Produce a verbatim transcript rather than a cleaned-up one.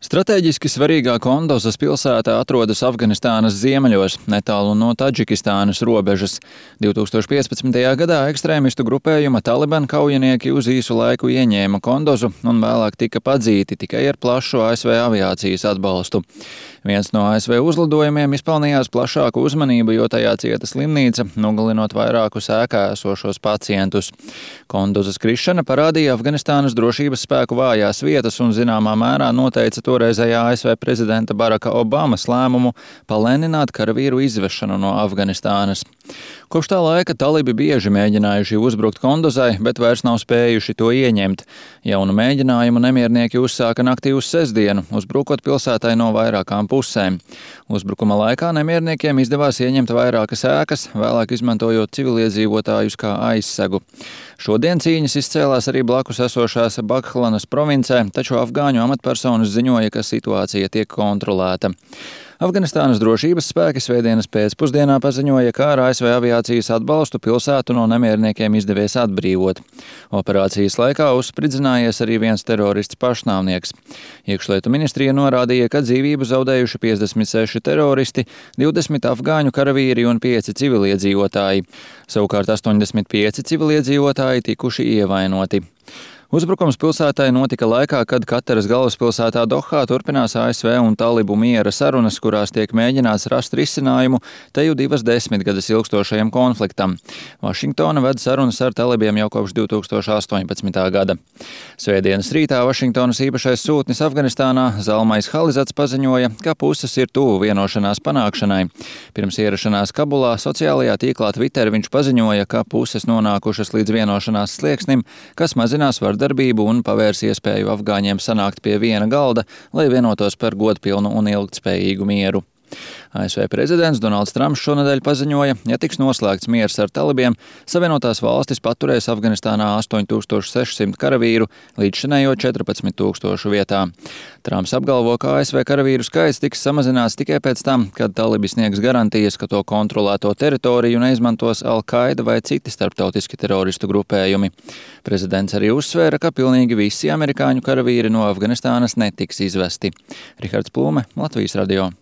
Stratēģiski svarīgā Kondozas pilsēta atrodas Afganistānas ziemeļos, netālu no Tadžikistānas robežas. divtūkstoš piecpadsmitajā gadā ekstrēmistu grupējuma Taliban kaujinieki uz īsu laiku ieņēma Kondozu un vēlāk tika padzīti tikai ar plašu A S V aviācijas atbalstu. Viens no A S V uzlidojumiem izpelnījās plašāku uzmanību, jo tajā cieta slimnīca, nogalinot vairākus ēkā esošos pacientus. Kondozas krišana parādīja Afganistānas drošības spēku vājās vietas un zināmā mērā noteica toreizējā A S V prezidenta Baraka Obamas lēmumu palēnināt karavīru izvešanu no Afganistānas. Kopš tā laika talibi bieži mēģinājuši uzbrukt Kondozai, bet vairs nav spējuši to ieņemt. Jaunu mēģinājumu nemiernieki uzsāka naktī uz sestdienu, uzbrukot pilsētai no vairākām pusēm. Uzbrukuma laikā nemierniekiem izdevās ieņemt vairākas ēkas, vēlāk izmantojot civiliedzīvotājus kā aizsegu. Šodien cīņas izcēlās arī blakus esošās Baghlanas provincē, taču afgāņu amatpersonas ziņoja, ka situācija tiek kontrolēta. Afganistānas drošības spēki svētdienas pēcpusdienā paziņoja, ka ar A S V aviācijas atbalstu pilsētu no nemierniekiem izdevies atbrīvot. Operācijas laikā uzspridzinājies arī viens terorists pašnāvnieks. Iekšlietu ministrija norādīja, ka dzīvību zaudējuši piecdesmit seši teroristi, divdesmit afgāņu karavīri un pieci civiliedzīvotāji. Savukārt astoņdesmit pieci civiliedzīvotāji tikuši ievainoti. Uzbrukums pilsētai notika laikā, kad Kataras galvaspilsētā Dohā turpinās A S V un talibu miera sarunas, kurās tiek mēģināts rast risinājumu teju divas desmitgades ilgstošajam konfliktam. Vašingtona ved sarunas ar talibiem jau kopš divtūkstoš astoņpadsmitā gada. Svētdienas rītā Vašingtonas īpašais sūtnis Afganistānā Zalmais Halizats paziņoja, ka puses ir tuvu vienošanās panākšanai. Pirms ierašanās Kabulā sociālajā tīklā Twitter viņš paziņoja, ka puses nonākušas līdz vienošanās slieksnim, kas mazinās vardarbību darbību un pavērs iespēju afgāņiem sanākt pie viena galda, lai vienotos par godpilnu un ilgtspējīgu mieru. A S V prezidents Donalds Trumps šonedēļ paziņoja, ja tiks noslēgts miers ar talibiem, Savienotās valstis paturēs Afganistānā astoņi tūkstoši seši simti karavīru līdzšinējo četrpadsmit tūkstošu vietā. Trumps apgalvo, ka A S V karavīru skaits tiks samazināts tikai pēc tam, kad talibi sniegs garantijas, ka to kontrolēto teritoriju neizmantos Al-Qaida vai citi starptautiski teroristu grupējumi. Prezidents arī uzsvēra, ka pilnīgi visi amerikāņu karavīri no Afganistānas netiks izvesti. Rihards Plūme, Latvijas radio.